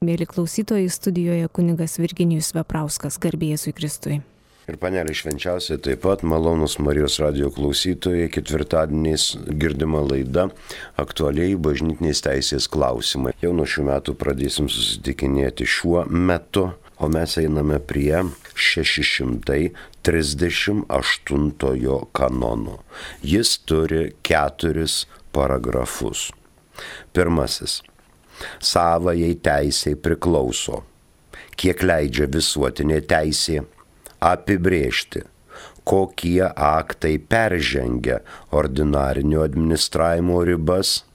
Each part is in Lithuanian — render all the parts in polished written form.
Mėly klausytojai, studijoje kunigas Virginijus Veprauskas, garbė Jėzui Kristui. Ir panelė švenčiausiai taip pat, malonus Marijos radijo klausytojai, ketvirtadieniais girdima laida aktualiai bažnytinės teisės klausimai. Jau nuo šių metų pradėsim susitikinėti šiuo metu, o mes einame prie 638 kanono. Jis turi 4 paragrafus. Pirmasis. Savajai teisei priklauso, kiek leidžia visuotinė teisė, apibrėžti, kokie aktai peržengia ordinarinio administravimo ribas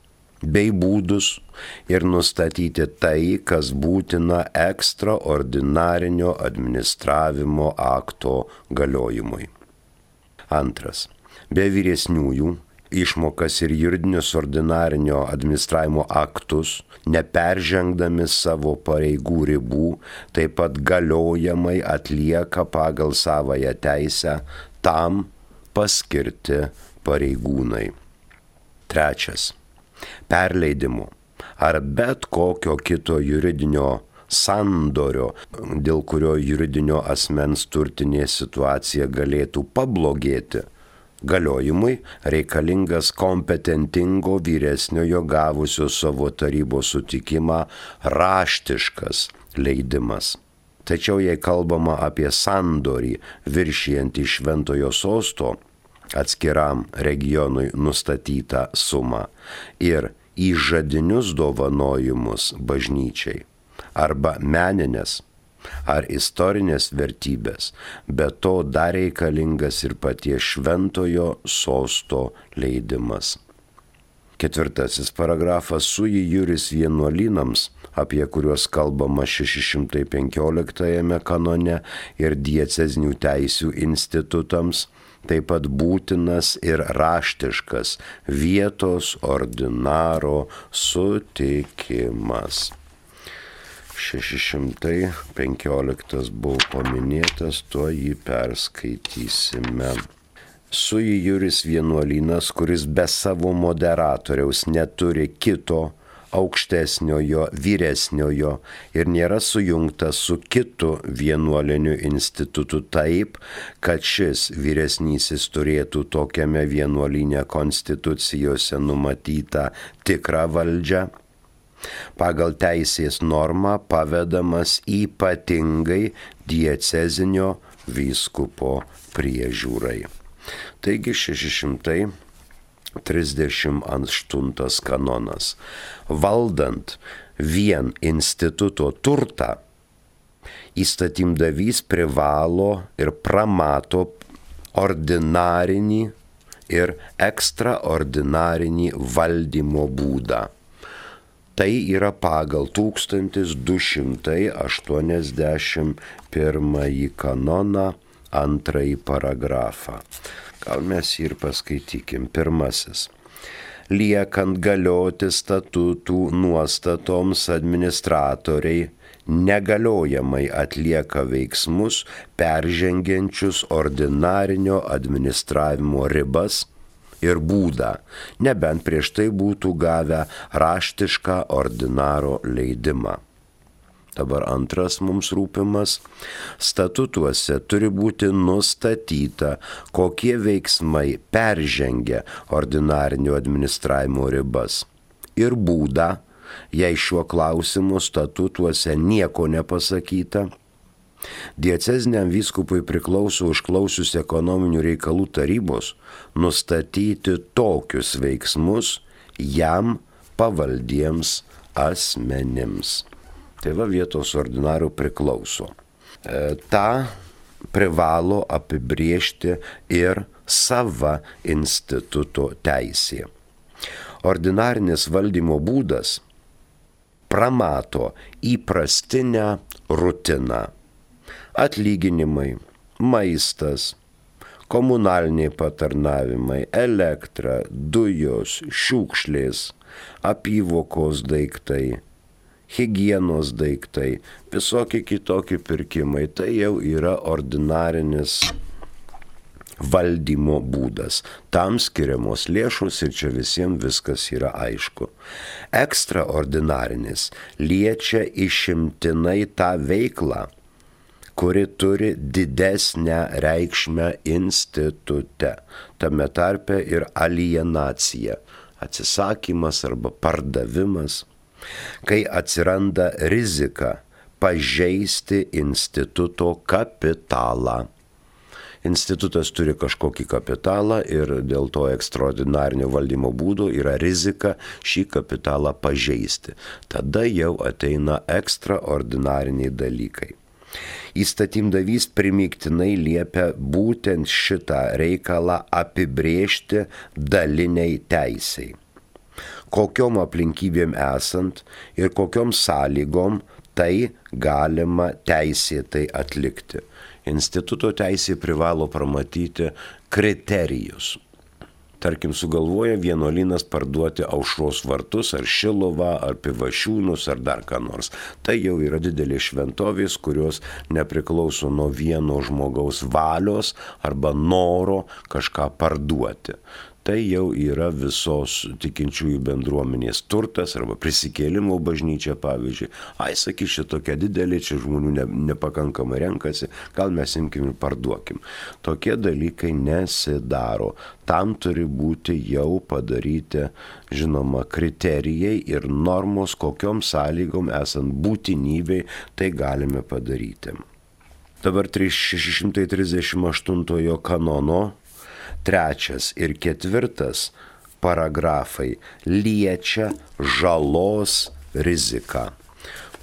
bei būdus ir nustatyti tai, kas būtina ekstraordinarinio administravimo akto galiojimui. Antras. Be vyresniųjų išmokas ir juridinius ordinarinio administravimo aktus, neperžengdami savo pareigų ribų, taip pat galiojamai atlieka pagal savąją teisę tam paskirti pareigūnai. Trečias. Perleidimo ar bet kokio kito juridinio sandorio, dėl kurio juridinio asmens turtinė situacija galėtų pablogėti, galiojimui reikalingas kompetentingo vyresniojo gavusio savo tarybos sutikimą raštiškas leidimas. Tačiau jei kalbama apie sandorį viršijantį Šventojo sosto atskiram regionui nustatytą sumą ir įžadinius dovanojimus bažnyčiai arba meninės ar istorinės vertybės, bet to dar reikalingas ir paties Šventojo sosto leidimas. Ketvirtasis paragrafas sui juris vienuolynams, apie kuriuos kalbama 615 kanone, ir diecezinių teisių institutams, taip pat būtinas ir raštiškas vietos ordinaro sutikimas. 615 buvo paminėtas, tuo jį perskaitysime. Sui juris vienuolynas, kuris be savo moderatoriaus neturi kito aukštesniojo, vyresniojo ir nėra sujungtas su kitu vienuoliniu institutu taip, kad šis vyresnysis turėtų tokiame vienuolyne konstitucijose numatytą tikrą valdžią, pagal teisės normą pavedamas ypatingai diecezinio vyskupo priežiūrai. Taigi 638 kanonas. Valdant vien instituto turtą, įstatymdavys privalo ir pramato ordinarinį ir ekstraordinarinį valdymo būdą. Tai yra pagal 1281 kanoną 2 paragrafą. Gal mes jį ir paskaitykim. Pirmasis. Liekant galioti statutų nuostatoms administratoriai negaliojamai atlieka veiksmus peržengiančius ordinarinio administravimo ribas ir būdą, nebent prieš tai būtų gavę raštišką ordinaro leidimą. Dabar antras mums rūpimas. Statutuose turi būti nustatyta, kokie veiksmai peržengia ordinarinio administravimo ribas ir būdą, jei šiuo klausimu statutuose nieko nepasakyta. Dieceziniam vyskupui priklauso užklausius ekonominių reikalų tarybos nustatyti tokius veiksmus jam pavaldiems asmenims. Tai va vietos ordinarų priklauso. Ta privalo apibriežti ir sava instituto teisė. Ordinarinis valdymo būdas pramato įprastinę rutiną. Atlyginimai, maistas, komunaliniai patarnavimai, elektra, dujos, šiukšlės, apyvokos daiktai, higienos daiktai, visokie kitokie pirkimai. Tai jau yra ordinarinis valdymo būdas. Tam skiriamos lėšos ir čia visiems viskas yra aišku. Ekstraordinarinis liečia išimtinai tą veiklą, kuri turi didesnę reikšmę institute, tame tarpe ir alienacija, atsisakymas arba pardavimas, kai atsiranda rizika pažeisti instituto kapitalą. Institutas turi kažkokį kapitalą ir dėl to ekstraordinarinio valdymo būdo yra rizika šį kapitalą pažeisti. Tada jau ateina ekstraordinariniai dalykai. Įstatymdavys primygtinai liepia būtent šitą reikalą apibrėžti daliniai teisei. Kokiom aplinkybėm esant ir kokiom sąlygom tai galima teisėtai atlikti. Instituto teisė privalo pramatyti kriterijus. Tarkim, sugalvoja vienuolynas parduoti Aušros vartus, ar Šiluvą, ar Pivašiūnus, ar dar ką nors. Tai jau yra didelės šventovės, kurios nepriklauso nuo vieno žmogaus valios arba noro kažką parduoti. Tai jau yra visos tikinčiųjų bendruomenės turtas arba prisikėlimo bažnyčia, pavyzdžiui. Sakys, čia tokia didelė, čia žmonių nepakankamai renkasi, gal mes imkim ir parduokim. Tokie dalykai nesidaro. Tam turi būti jau padaryti, žinoma, kriterijai ir normos, kokiom sąlygom esant būtinybei tai galime padaryti. Dabar 638 kanono 3 ir 4 paragrafai liečia žalos riziką.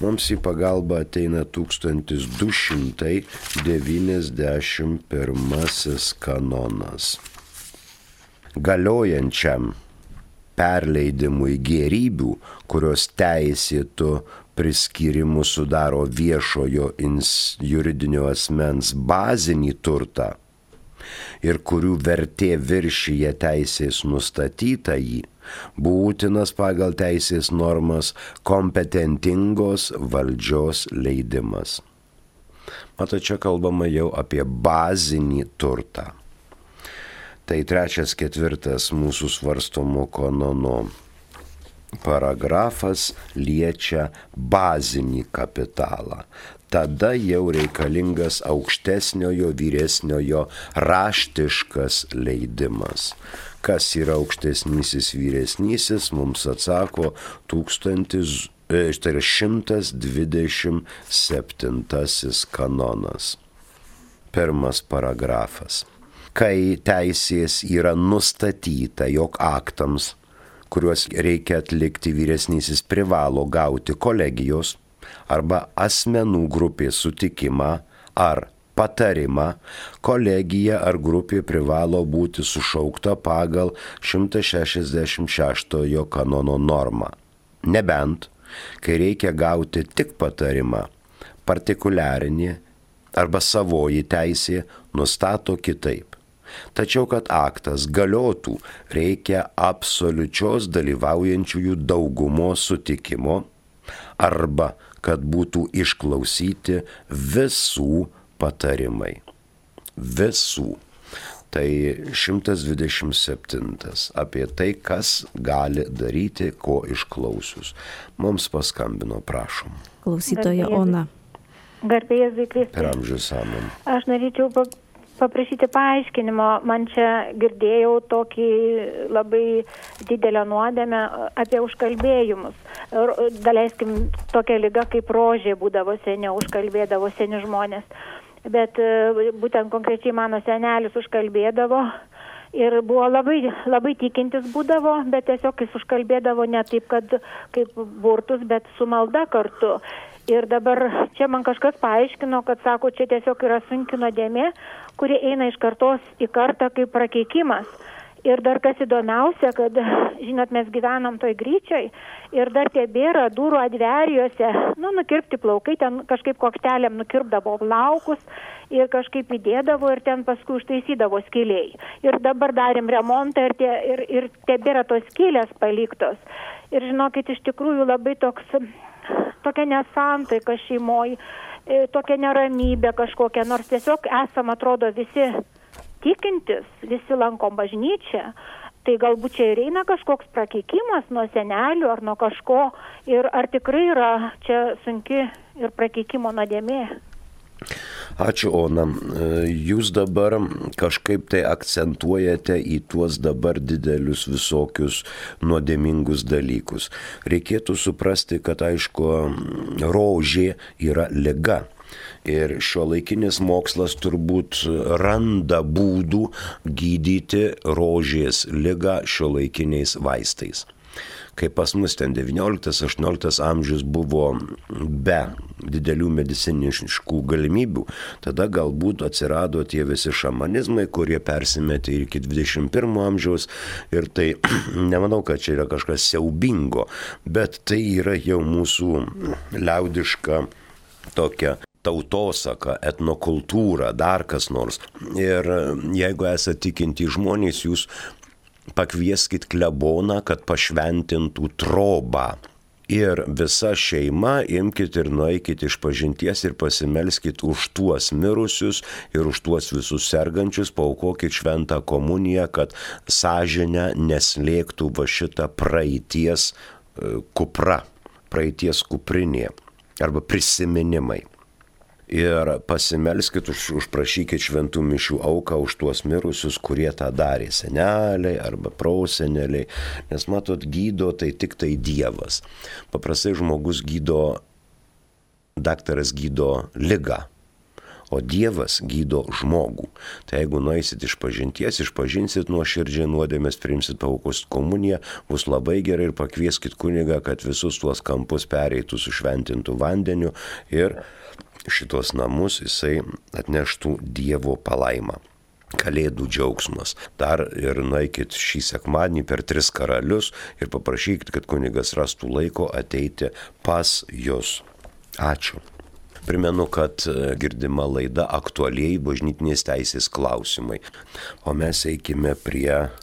Mums į pagalbą ateina 1291 kanonas. Galiojančiam perleidimui gėrybių, kurios teisėtų priskyrimų sudaro viešojo juridinio asmens bazinį turtą ir kurių vertė viršyje teisės nustatytąjį, būtinas pagal teisės normas kompetentingos valdžios leidimas. Mato, čia kalbama jau apie bazinį turtą. Tai 3-4 mūsų svarstomo kanono paragrafas liečia bazinį kapitalą. Tada jau reikalingas aukštesniojo vyresniojo raštiškas leidimas. Kas yra aukštesnysis vyresnysis, mums atsako 127 kanonas. 1 paragrafas. Kai teisės yra nustatyta, jog aktams, kuriuos reikia atlikti, vyresnysis privalo gauti kolegijos arba asmenų grupės sutikimą ar patarimą, kolegija ar grupė privalo būti sušaukta pagal 166 kanono normą. Nebent, kai reikia gauti tik patarimą, partikuliarinė arba savoji teisė nustato kitaip. Tačiau, kad aktas galiotų, reikia absoliučios dalyvaujančiųjų daugumos sutikimo arba kad būtų išklausyti visų patarimai. Visų. Tai 127 apie tai, kas gali daryti, ko išklausius. Mums paskambino, prašom. Klausytoja Ona. Garbė Jėzui Kristui. Per amžius amen. Aš norėčiau paprašyti paaiškinimo. Man čia girdėjau tokį labai didelę nuodėmę apie užkalbėjimus. Daleiskim, tokia liga kaip rožė būdavo seniau, užkalbėdavo seni žmonės. Bet būtent konkrečiai mano senelis užkalbėdavo ir buvo labai tikintis būdavo, bet tiesiog jis užkalbėdavo ne taip, kad kaip burtus, bet su malda kartu. Ir dabar čia man kažkas paaiškino, kad sako, čia tiesiog yra sunki nuodėmė, kuri eina iš kartos į kartą kaip prakeikimas. Ir dar kas įdomiausia, kad, žinot, mes gyvenam toj Gryčioj ir dar tebėra durų adverijose, nukirpti plaukai, ten kažkaip koktelėm nukirpdavo plaukus ir kažkaip įdėdavo ir ten paskui užtaisydavo skiliai. Ir dabar darėm remontą ir tebėra tos skylės paliktos. Ir žinokit, iš tikrųjų labai tokia nesantaika šeimoje, tokia neramybė kažkokia, nors tiesiog esam, atrodo, visi tikintis, visi lankom bažnyčią, tai galbūt čia ir eina kažkoks prakeikimas nuo senelių ar nuo kažko, ir ar tikrai yra čia sunki ir prakeikimo nuodėmė. Ačiū, Ona. Jūs dabar kažkaip tai akcentuojate į tuos dabar didelius visokius nuodėmingus dalykus. Reikėtų suprasti, kad aišku, rožė yra liga. Ir šiuolaikinis mokslas turbūt randa būdų gydyti rožės ligą šiuolaikiniais vaistais. Kai pas mus ten 19-18 amžius buvo be didelių medicininiškų galimybių, tada galbūt atsirado tie visi šamanizmai, kurie persimetė ir iki 21 amžiaus, ir tai nemanau, kad čia yra kažkas siaubingo, bet tai yra jau mūsų liaudiška tokia tautosaka, etnokultūra, dar kas nors. Ir jeigu esate tikinti žmonės, jūs pakvieskit kleboną, kad pašventintų trobą. Ir visa šeima imkit ir nueikit iš pažinties ir pasimelskit už tuos mirusius ir už tuos visus sergančius, paaukokit šventą komuniją, kad sąžinę neslėgtų va šitą praeities kupra, praeities kuprinė arba prisiminimai. Ir pasimelskit, užprašykit šventų mišių auką už tuos mirusius, kurie tą darė, seneliai arba proseneliai, nes matot, gydo tai tik tai Dievas. Paprastai žmogus gydo, daktaras gydo ligą, o Dievas gydo žmogų. Tai jeigu nueisit iš pažinties, išpažinsit nuoširdžiai nuodėmes, priimsit paaukosit komuniją, bus labai gerai, ir pakvieskit kunigą, kad visus tuos kampus pereitų su šventintu vandeniu ir šitos namus jisai atneštų Dievo palaimą. Kalėdų džiaugsmas. Dar ir nueikit šį sekmadienį per 3 karalius ir paprašykit, kad kunigas rastų laiko ateiti pas jus. Ačiū. Primenu, kad girdima laida aktualiai bažnytinės teisės klausimai. O mes eikime prie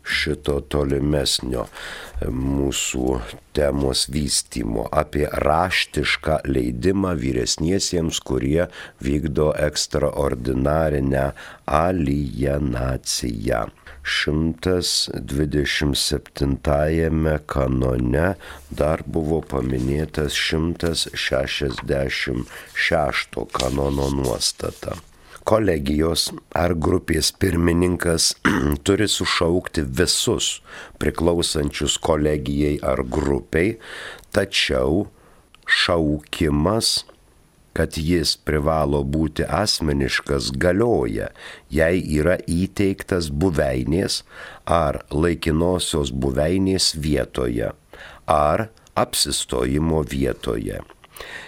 šito tolimesnio mūsų temos vystymo apie raštišką leidimą vyresniesiems, kurie vykdo ekstraordinarinę alienaciją. 127 kanone dar buvo paminėtas 166 kanono nuostata. Kolegijos ar grupės pirmininkas turi sušaukti visus priklausančius kolegijai ar grupiai, tačiau šaukimas, kad jis privalo būti asmeniškas, galioja, jei yra įteiktas buveinės ar laikinosios buveinės vietoje ar apsistojimo vietoje.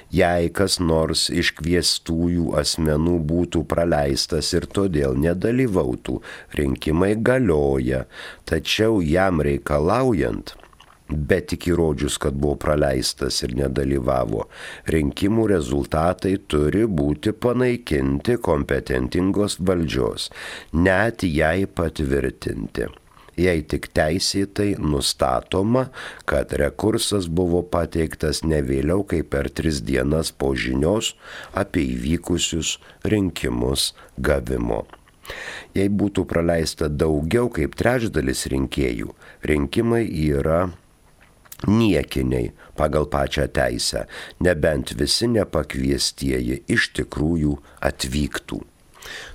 Jei kas nors iš kviestųjų asmenų būtų praleistas ir todėl nedalyvautų, rinkimai galioja, tačiau jam reikalaujant, bet tik įrodžius, kad buvo praleistas ir nedalyvavo, rinkimų rezultatai turi būti panaikinti kompetentingos valdžios, net jei patvirtinti. Jei tik teisėtai nustatoma, kad rekursas buvo pateiktas ne vėliau kaip per 3 dienas po žinios apie įvykusius rinkimus gavimo. Jei būtų praleista daugiau kaip trečdalis rinkėjų, rinkimai yra niekiniai pagal pačią teisę, nebent visi nepakviestieji iš tikrųjų atvyktų.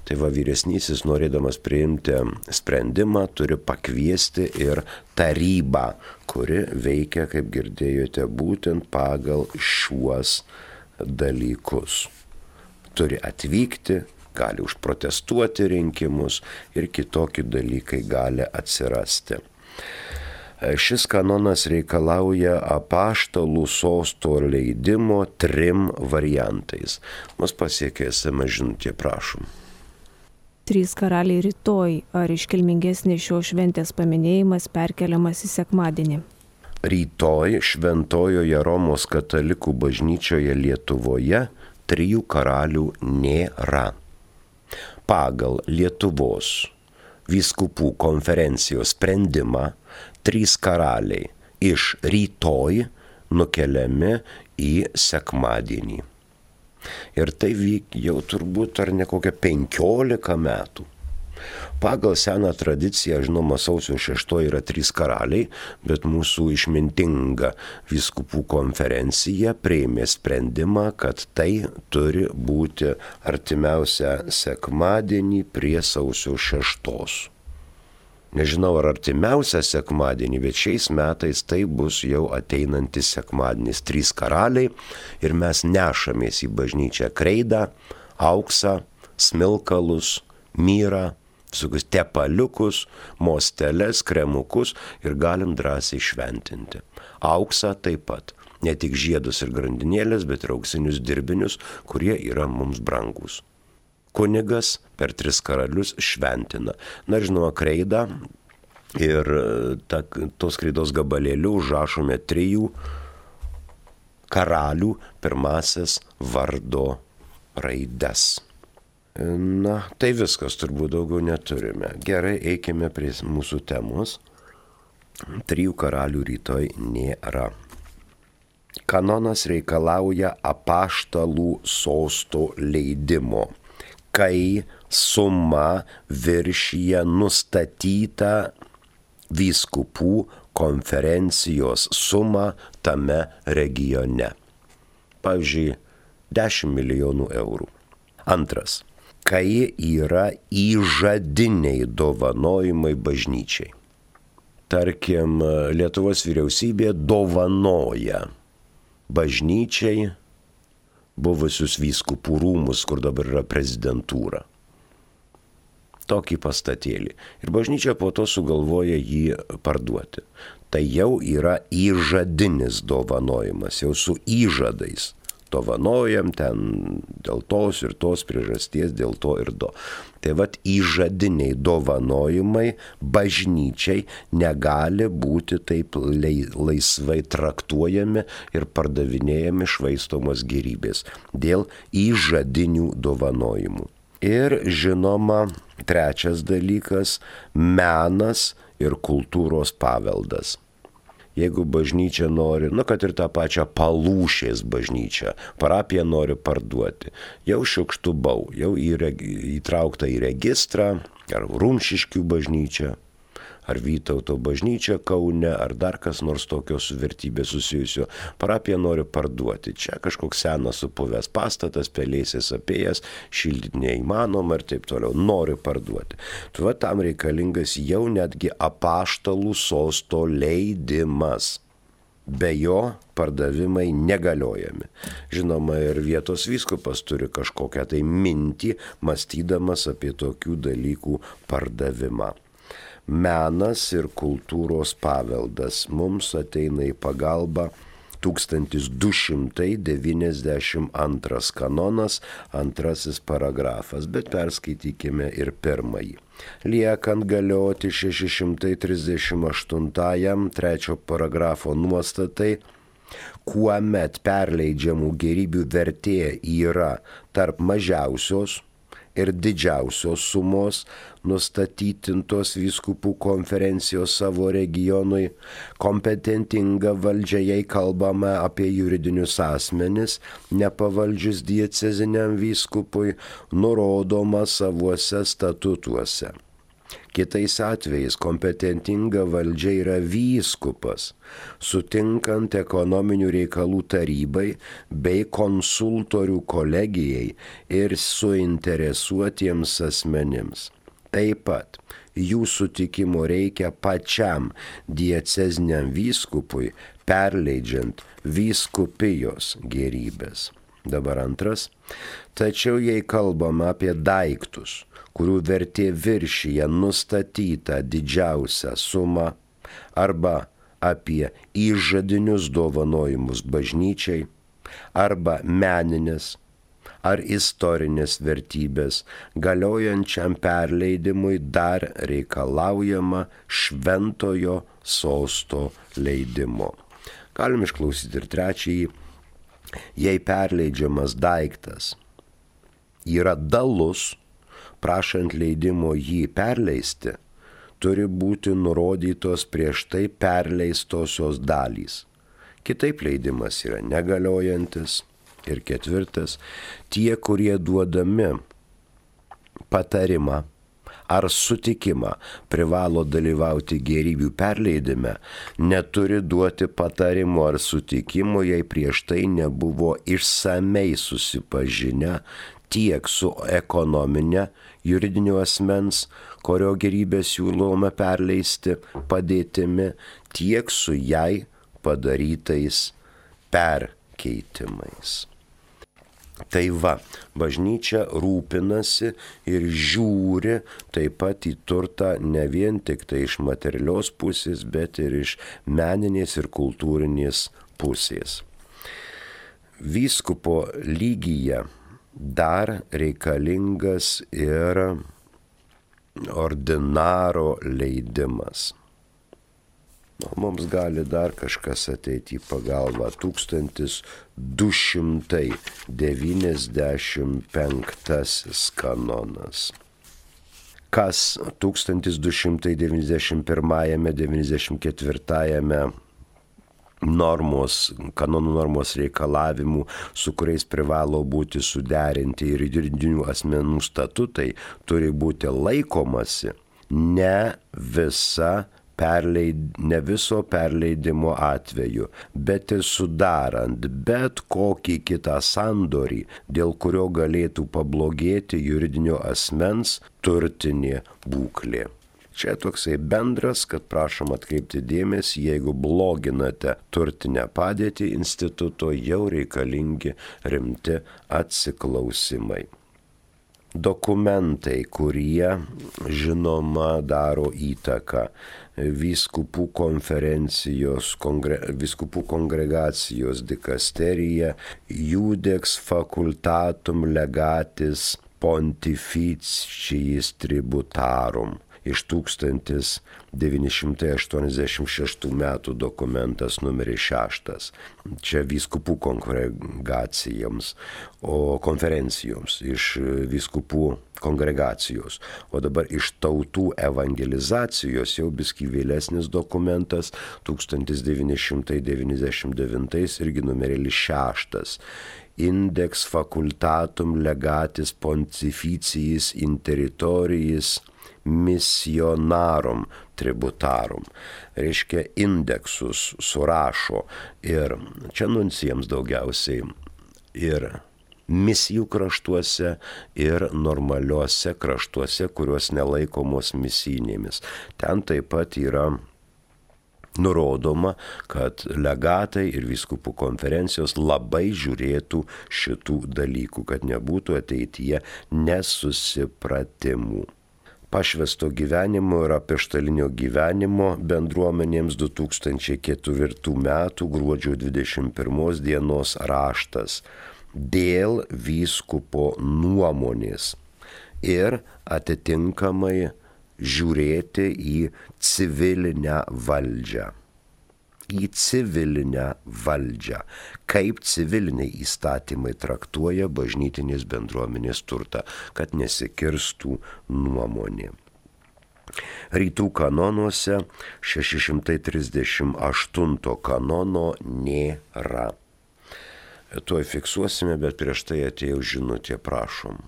Tai va, vyresnysis, norėdamas priimti sprendimą, turi pakviesti ir tarybą, kuri veikia, kaip girdėjote, būtent pagal šiuos dalykus. Turi atvykti, gali užprotestuoti rinkimus ir kitokie dalykai gali atsirasti. Šis kanonas reikalauja apaštalų sosto leidimo 3 variantais. Mus pasiekė SMS žinutė, prašom. 3 karaliai rytoj. Ar iškilmingesnis šios šventės paminėjimas perkeliamas į sekmadienį? Rytoj Šventojoje Romos katalikų bažnyčioje Lietuvoje 3 karalių nėra. Pagal Lietuvos vyskupų konferencijos sprendimą 3 karaliai iš rytoj nukeliami į sekmadienį. Ir tai vyk jau turbūt ar ne kokią 15 metų. Pagal seną tradiciją, žinoma, sausio 6 yra 3 karaliai, bet mūsų išmintinga vyskupų konferencija priėmė sprendimą, kad tai turi būti artimiausią sekmadienį prie sausio 6. Nežinau, ar artimiausią sekmadienį, bet šiais metais tai bus jau ateinantis sekmadienis. 3 karaliai ir mes nešamės į bažnyčią kreidą, auksą, smilkalus, myrą, visokius tepaliukus, mosteles, kremukus ir galim drąsiai šventinti. Auksą taip pat. Ne tik žiedus ir grandinėlės, bet ir auksinius dirbinius, kurie yra mums brangus. Kunigas per 3 karalius šventina. Na, žinoma, kreidą ir tos kreidos gabalėlių užrašome 3 karalių pirmasis vardo raides. Na, tai viskas, turbūt daugiau neturime. Gerai, eikime prie mūsų temos. 3 karalių rytoj nėra. Kanonas reikalauja apaštalų sosto leidimo, kai suma viršyje nustatytą vyskupų konferencijos sumą tame regione. Pavyzdžiui, 10 milijonų eurų. Antras. Kai yra įžadiniai dovanojimai bažnyčiai. Tarkim, Lietuvos vyriausybė dovanoja bažnyčiai buvusius vyskupų rūmus, kur dabar yra prezidentūra. Tokį pastatėlį. Ir bažnyčia po to sugalvoja jį parduoti. Tai jau yra įžadinis dovanojimas, jau su įžadais. Dovanojam ten dėl tos ir tos priežasties, dėl to ir to. Tai vat įžadiniai dovanojimai bažnyčiai negali būti taip laisvai traktuojami ir pardavinėjami švaistomos gėrybės dėl įžadinių dovanojimų. Ir žinoma, trečias dalykas – menas ir kultūros paveldas. Jeigu bažnyčia nori, kad ir tą pačią Palūšės bažnyčią, parapija nori parduoti, jau šiukštu bau, jau įtraukta į registrą, ar Rumšiškių bažnyčia, ar Vytauto bažnyčia Kaune, ar dar kas nors tokio su vertybė susijusio, parapija nori parduoti. Čia kažkoks senas supuvęs pastatas, pelėsis apėjęs, šildyti neįmanoma ir taip toliau, nori parduoti. Tuo tam reikalingas jau netgi apaštalų sosto leidimas. Be jo pardavimai negaliojami. Žinoma, ir vietos vyskupas turi kažkokią tai mintį, mąstydamas apie tokių dalykų pardavimą. Menas ir kultūros paveldas mums ateina į pagalbą 1292 kanonas, 2 paragrafas, bet perskaitykime ir 1. Liekant galioti 638 3 paragrafo nuostatai, kuomet perleidžiamų gėrybių vertė yra tarp mažiausios ir didžiausios sumos nustatytintos vyskupų konferencijos savo regionui, kompetentinga valdžia, jei kalbame apie juridinius asmenis, nepavaldžius dieceziniam vyskupui, nurodoma savuose statutuose. Kitais atvejais kompetentinga valdžia yra vyskupas, sutinkant ekonominių reikalų tarybai bei konsultorių kolegijai ir suinteresuotiems asmenims. Taip pat jų sutikimo reikia pačiam dieceziniam vyskupui, perleidžiant vyskupijos gėrybės. Dabar 2. Tačiau jei kalbame apie daiktus, kurių vertė viršyje nustatytą didžiausią sumą, arba apie įžadinius dovanojimus bažnyčiai, arba meninės ar istorinės vertybės, galiojančiam perleidimui dar reikalaujama šventojo sosto leidimo. Galim išklausyti ir 3. Jei perleidžiamas daiktas yra dalus, prašant leidimo jį perleisti, turi būti nurodytos prieš tai perleistosios dalys. Kitaip leidimas yra negaliojantis. Ir 4. Tie, kurie duodami patarimą ar sutikimą privalo dalyvauti gėrybių perleidime, neturi duoti patarimo ar sutikimo, jei prieš tai nebuvo išsamei susipažinę tiek su ekonominė juridinio asmens, kurio gėrybės siūloma perleisti padėtimi, tiek su jai padarytais perkeitimais. Tai va, bažnyčia rūpinasi ir žiūri taip pat į turtą ne vien tik tai iš materialios pusės, bet ir iš meninės ir kultūrinės pusės. Vyskupo lygyje dar reikalingas ir ordinaro leidimas. Mums gali dar kažkas ateiti į pagalbą. 1295 kanonas. Kas 1291-94 kanonų normos reikalavimų, su kuriais privalo būti suderinti ir juridinių asmenų statutai, turi būti laikomasi ne viso perleidimo atveju, bet ir sudarant bet kokį kitą sandorį, dėl kurio galėtų pablogėti juridinio asmens turtinė būklė. Čia toksai bendras, kad prašom atkreipti dėmesį, jeigu bloginate turtinę padėtį instituto, jau reikalingi rimti atsiklausimai. Dokumentai, kurie, žinoma, daro įtaką vyskupų konferencijos, vyskupų kongregacijos dikasterija, Judex facultatum legatis pontificis tributarum. Iš 1986 metų dokumentas numeris 6. Čia vyskupų kongregacijoms, o konferencijoms iš vyskupų kongregacijos. O dabar iš tautų evangelizacijos jau biskį vėlesnis dokumentas 1999 irgi numeris 6. Index facultatum legatis pontificis in territoris missionarum tributarum. Reiškia, indeksus surašo ir čia nuncijams daugiausiai ir misijų kraštuose, ir normaliuose kraštuose, kurios nelaikomos misijinėmis. Ten taip pat yra nurodoma, kad legatai ir vyskupų konferencijos labai žiūrėtų šitų dalykų, kad nebūtų ateityje nesusipratimų. Pašvęsto gyvenimo ir apaštalinio gyvenimo bendruomenėms 2004 metų gruodžio 21 dienos raštas dėl vyskupo nuomonės ir atitinkamai žiūrėti į civilinę valdžią. Į civilinę valdžią, kaip civiliniai įstatymai traktuoja bažnytinės bendruomenės turtą, kad nesikirstų nuomonė. Rytų kanonuose 638 kanono nėra. Tuoj fiksuosime, bet prieš tai atėjo žinutė, prašom.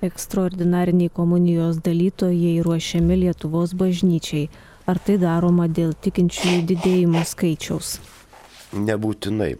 Ekstraordinariniai komunijos dalytojai ruošiami Lietuvos bažnyčiai. Ar tai daroma dėl tikinčiųjų didėjimo skaičiaus? Nebūtinai.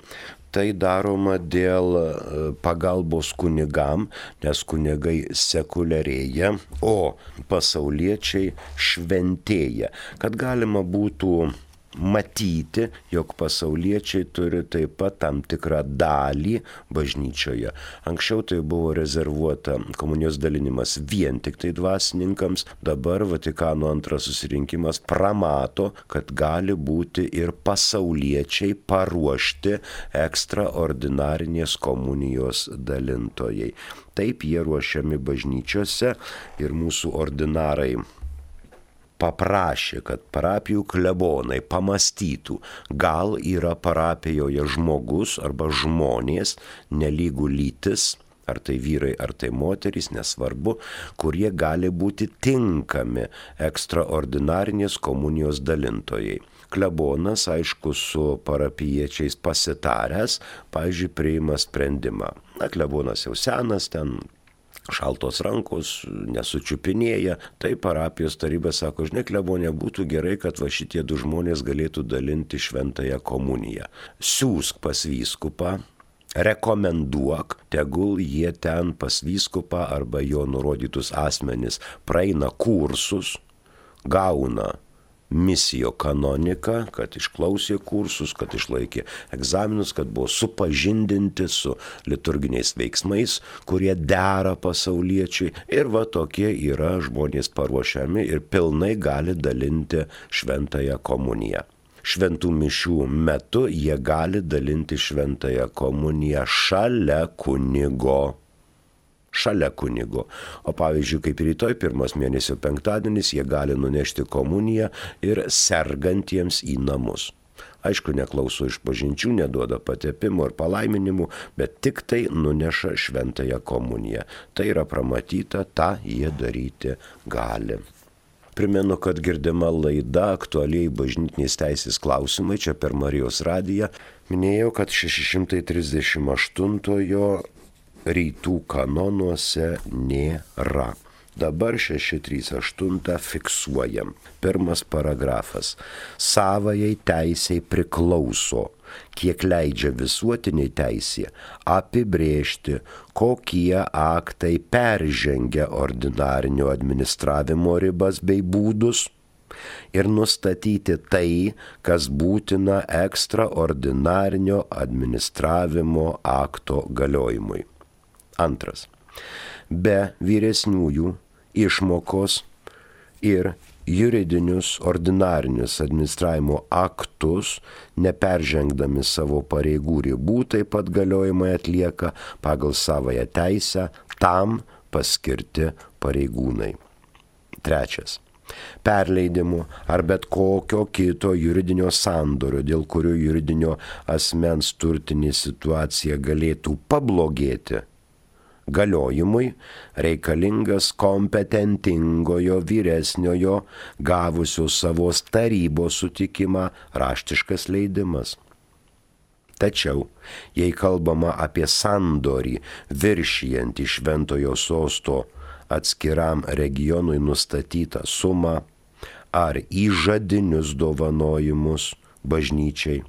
Tai daroma dėl pagalbos kunigam, nes kunigai sekuliarėja, o pasauliečiai šventėja. Kad galima būtų matyti, jog pasauliečiai turi taip pat tam tikrą dalį bažnyčioje. Anksčiau tai buvo rezervuota komunijos dalinimas vien tik tai dvasininkams, dabar Vatikano antras susirinkimas pramato, kad gali būti ir pasauliečiai paruošti ekstraordinarinės komunijos dalintojai. Taip jie ruošiami bažnyčiose ir mūsų ordinarai paprašė, kad parapijų klebonai pamastytų, gal yra parapijoje žmogus arba žmonės, nelygų lytis, ar tai vyrai, ar tai moterys, nesvarbu, kurie gali būti tinkami ekstraordinarinės komunijos dalintojai. Klebonas, aišku, su parapijiečiais pasitaręs, pavyzdžiui, priima sprendimą. Klebonas jau senas, ten šaltos rankos, nesučiupinėja. Tai parapijos taryba sako, žinai, klebonė, būtų gerai, kad va šitie du žmonės galėtų dalinti šventąją komuniją. Siųsk pas vyskupą, rekomenduok, tegul jie ten pas vyskupą arba jo nurodytus asmenis praeina kursus, gauna misijo kanoniką, kad išklausė kursus, kad išlaikė egzaminus, kad buvo supažindinti su liturginiais veiksmais, kurie dera pasauliečiui. Ir va tokie yra žmonės paruošiami ir pilnai gali dalinti šventąją komuniją. Šventų mišių metu jie gali dalinti šventąją komuniją šalia kunigo. O pavyzdžiui, kaip rytoj, pirmas mėnesio penktadienis, jie gali nunešti komuniją ir sergantiems į namus. Aišku, neklauso išpažinčių, neduoda patepimo ir palaiminimų, bet tik tai nuneša šventąją komuniją. Tai yra pramatyta, tą jie daryti gali. Primenu, kad girdima laida aktualiai bažnytinės teisės klausimai čia per Marijos radiją. Minėjau, kad 638-ojo rytų kanonuose nėra. Dabar 638 fiksuojam. Pirmas paragrafas. Savajai teisei priklauso, kiek leidžia visuotiniai teisė, apibrėžti, kokie aktai peržengia ordinarinio administravimo ribas bei būdus ir nustatyti tai, kas būtina ekstraordinarinio administravimo akto galiojimui. Antras. Be vyresniųjų išmokos ir juridinius ordinarinius administravimo aktus, neperžengdami savo pareigų ribų, taip pat galiojimai atlieka pagal savąją teisę tam paskirti pareigūnai. Trečias. Perleidimu ar bet kokio kito juridinio sandorio, dėl kurio juridinio asmens turtinė situacija galėtų pablogėti, galiojimui reikalingas kompetentingojo vyresniojo gavusio savos tarybos sutikimą raštiškas leidimas. Tačiau, jei kalbama apie sandorį viršijantį šventojo sosto atskiram regionui nustatytą sumą ar įžadinius dovanojimus bažnyčiai,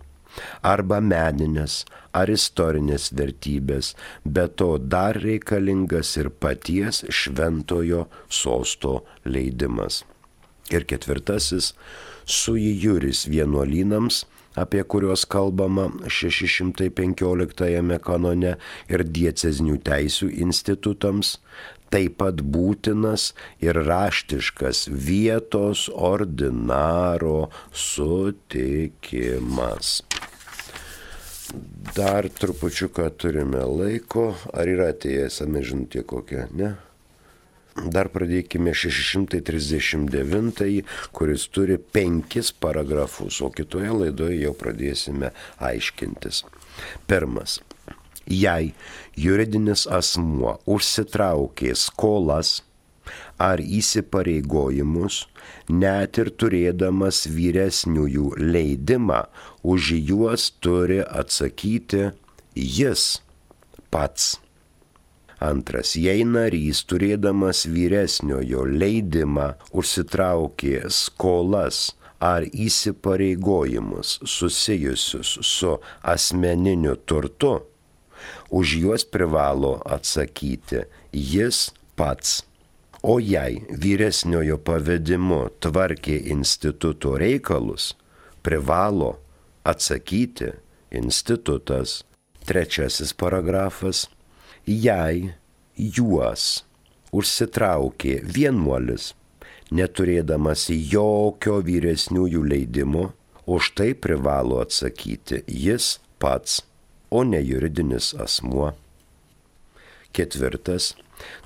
arba meninės ar istorinės vertybės, bet to dar reikalingas ir paties šventojo sosto leidimas. Ir ketvirtasis, sui juris vienuolynams, apie kuriuos kalbama 615 kanone, ir diecezinių teisių institutams, taip pat būtinas ir raštiškas vietos ordinaro sutikimas. Dar trupučiuką turime laiko. Ar yra atėjęs žinutė kokia, ne? Dar pradėkime 639, kuris turi 5 paragrafus, o kitoje laidoje jau pradėsime aiškintis. Pirmas. Jei juridinis asmuo užsitraukė skolas ar įsipareigojimus, net ir turėdamas vyresniųjų leidimą, už juos turi atsakyti jis pats. Antras, jei narys turėdamas vyresniojo leidimą užsitraukė skolas ar įsipareigojimus susijusius su asmeniniu turtu, už juos privalo atsakyti jis pats. O jei vyresniojo pavedimu tvarkė instituto reikalus, privalo atsakyti institutas. Trečiasis paragrafas. Jei juos užsitraukė vienuolis, neturėdamas jokio vyresniųjų leidimo, už tai privalo atsakyti jis pats, o ne juridinis asmuo. Ketvirtas.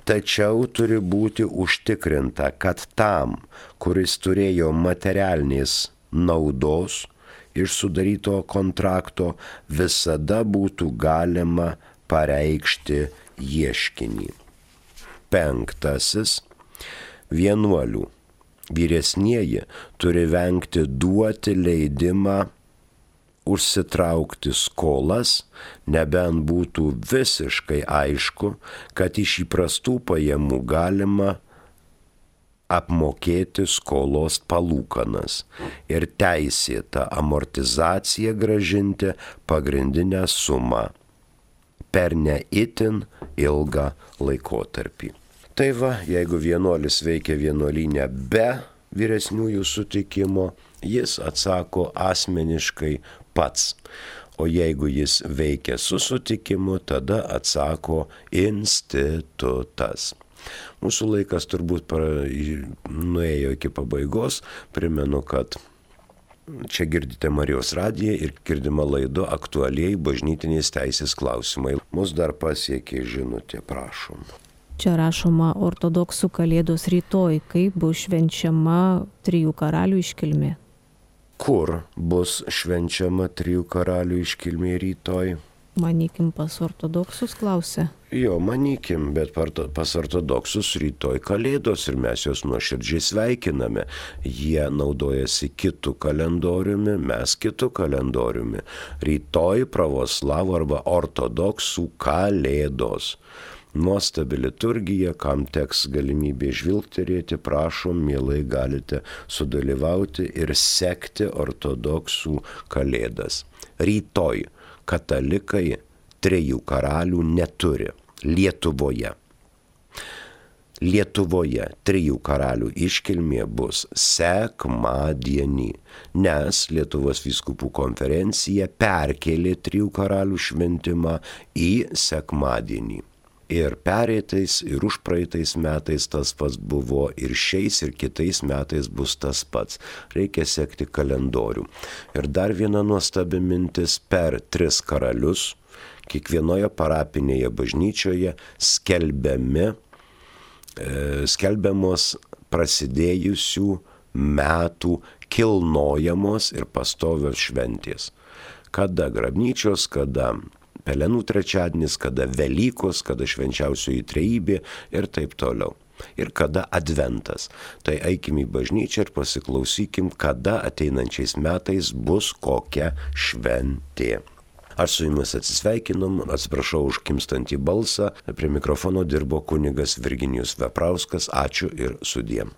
Tačiau turi būti užtikrinta, kad tam, kuris turėjo materialinės naudos iš sudaryto kontrakto, visada būtų galima pareikšti ieškinį. Penktasis. Vienuolių. Vyresnieji turi vengti duoti leidimą užsitraukti skolas, nebent būtų visiškai aišku, kad iš įprastų pajamų galima apmokėti skolos palūkanas ir teisėtą amortizaciją grąžinti pagrindinę sumą per ne itin ilgą laikotarpį. Tai va, jeigu vienuolis veikia vienuolyne be vyresniųjų sutikimo, jis atsako asmeniškai pats. O jeigu jis veikia su sutikimu, tada atsako institutas. Mūsų laikas turbūt nuėjo iki pabaigos. Primenu, kad čia girdite Marijos radiją ir girdima laida Aktualiai bažnytinės teisės klausimai. Mus dar pasiekė žinutė, prašom. Čia rašoma ortodoksų kalėdos rytoj, kaip bus švenčiama Trijų karalių iškilmė. Kur bus švenčiama Trijų karalių iškilmė rytoj? Manykim, pas ortodoksus klausia. Jo, manykim, bet pas ortodoksus rytoj kalėdos ir mes juos nuoširdžiai sveikiname. Jie naudojasi kitų kalendoriumi, mes kitų kalendoriumi. Rytoj pravoslavų arba ortodoksų kalėdos. Nuostabi liturgija, kam teks galimybė žvilgterėti, prašom, mielai galite sudalyvauti ir sekti ortodoksų kalėdas. Rytoj katalikai Trijų karalių neturi Lietuvoje. Lietuvoje Trijų karalių iškilmė bus sekmadienį, nes Lietuvos vyskupų konferencija perkėlė Trijų karalių šventimą į sekmadienį. Ir pereitais, ir užpraeitais metais tas pats buvo, ir šiais, ir kitais metais bus tas pats. Reikia sekti kalendorių. Ir dar viena nuostabi mintis, per 3 karalius, kiekvienoje parapinėje bažnyčioje skelbiamos prasidėjusių metų kilnojamos ir pastovios šventės. Kada grabnyčios, kada Pelenų trečiadienis, kada Velykos, kada švenčiausioji trejybė ir taip toliau. Ir kada adventas. Tai eikim į bažnyčią ir pasiklausykim, kada ateinančiais metais bus kokia šventė. Aš su jumis atsisveikinom, atsiprašau už kimstantį balsą. Prie mikrofono dirbo kunigas Virginijus Veprauskas. Ačiū ir sudiem.